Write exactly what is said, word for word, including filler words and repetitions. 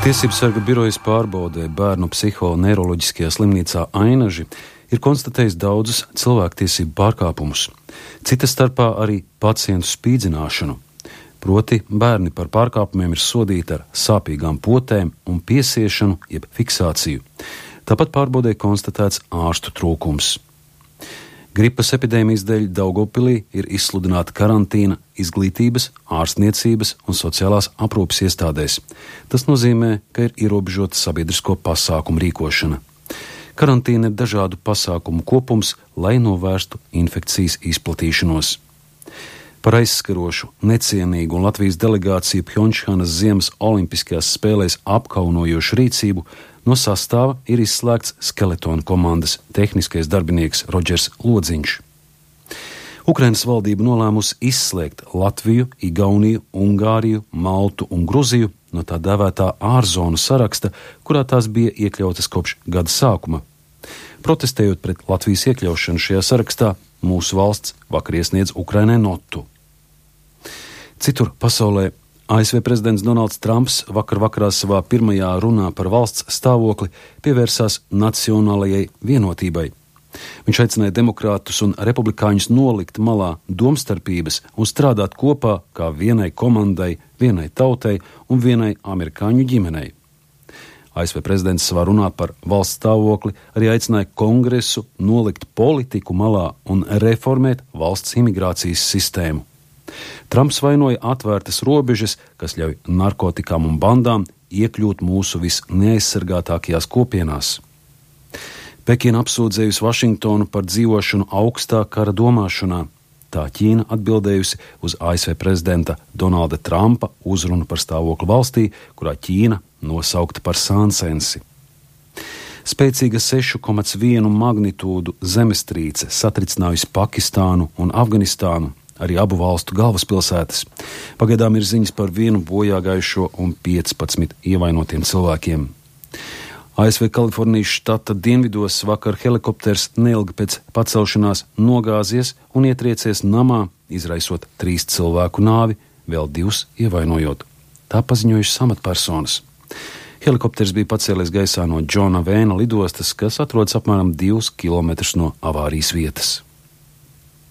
Tiesības sarga birojas pārbaudē bērnu psihoneiroloģiskajā slimnīcā Ainaži ir konstatējis daudzus cilvēktiesību pārkāpumus, cita starpā arī pacientu spīdzināšanu. Proti, bērni par pārkāpumiem ir sodīti ar sāpīgām potēm un piesiešanu jeb fiksāciju. Tāpat pārbaudē konstatēts ārstu trūkums. Gripas epidēmijas dēļ Daugavpilī ir izsludināta karantīna izglītības, ārstniecības un sociālās aprūpes iestādēs. Tas nozīmē, ka ir ierobežota sabiedrisko pasākumu rīkošana. Karantīna ir dažādu pasākumu kopums, lai novērstu infekcijas izplatīšanos. Par aizskarošu, necienīgu un Latvijas delegāciju Pjončhanas ziemas olimpiskajās spēlēs apkaunojošu rīcību no sastāva ir izslēgts Skeletona komandas tehniskais darbinieks Rodžers Lodziņš. Ukrainas valdība nolēmusi izslēgt Latviju, Igauniju, Ungāriju, Maltu un Gruziju no tā dēvētā ārzonu saraksta, kurā tās bija iekļautas kopš gada sākuma. Protestējot pret Latvijas iekļaušanu šajā sarakstā, mūsu valsts vakar iesniedz Ukrainai notu. Citur pasaulē A S V prezidents Donalds Trumps vakar vakarā savā pirmajā runā par valsts stāvokli pievērsās nacionālajai vienotībai. Viņš aicināja demokrātus un republikāņus nolikt malā domstarpības un strādāt kopā kā vienai komandai, vienai tautai un vienai amerikāņu ģimenei. A S V prezidents savā runā par valsts stāvokli arī aicināja Kongresu nolikt politiku malā un reformēt valsts imigrācijas sistēmu. Trumps vainoja atvērtas robežas, kas ļauj narkotikām un bandām iekļūt mūsu visneaizsargātākajās kopienās. Pekina apsūdzējusi Vašingtonu par dzīvošanu augstā kara domāšanā. Tā Ķīna atbildējusi uz A S V prezidenta Donalda Trumpa uzrunu par stāvokli valstī, kurā Ķīna nosaukta par sānsensi. Spēcīga sešu komats vienu magnitūdu zemestrīce satricinājusi Pakistānu un Afganistānu, arī abu valstu galvaspilsētas. Pagaidām ir ziņas par vienu bojāgājušo un piecpadsmit ievainotiem cilvēkiem. A S V Kalifornijas štata dienvidos vakar helikopters neilgi pēc pacelšanās nogāzies un ietriecies namā, izraisot trīs cilvēku nāvi, vēl divus ievainojot. Tā paziņojušas amatpersonas. Helikopters bija pacēlies gaisā no Džona Vēna lidostas, kas atrodas apmēram divus kilometrus no avārijas vietas.